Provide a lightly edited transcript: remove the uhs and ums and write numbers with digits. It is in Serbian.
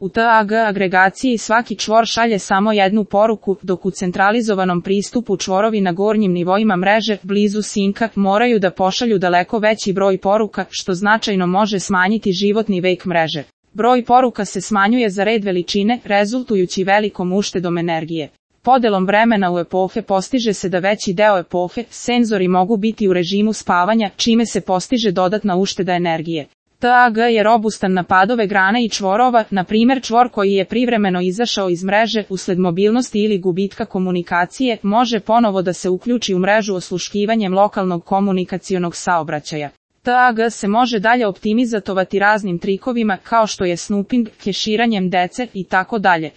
U TAG agregaciji svaki čvor šalje samo jednu poruku, dok u centralizovanom pristupu čvorovi na gornjim nivoima mreže, blizu sinka, moraju da pošalju daleko veći broj poruka, što značajno može smanjiti životni vek mreže. Broj poruka se smanjuje za red veličine, rezultujući velikom uštedom energije. Podelom vremena u epohe postiže se da veći deo epohe, senzori mogu biti u režimu spavanja, čime se postiže dodatna ušteda energije. TAG je robustan na padove grana i čvorova, na primjer čvor koji je privremeno izašao iz mreže usled mobilnosti ili gubitka komunikacije, može ponovo da se uključi u mrežu osluškivanjem lokalnog komunikacionog saobraćaja. TAG se može dalje optimizatovati raznim trikovima kao što je snooping, keširanjem dece i tako dalje.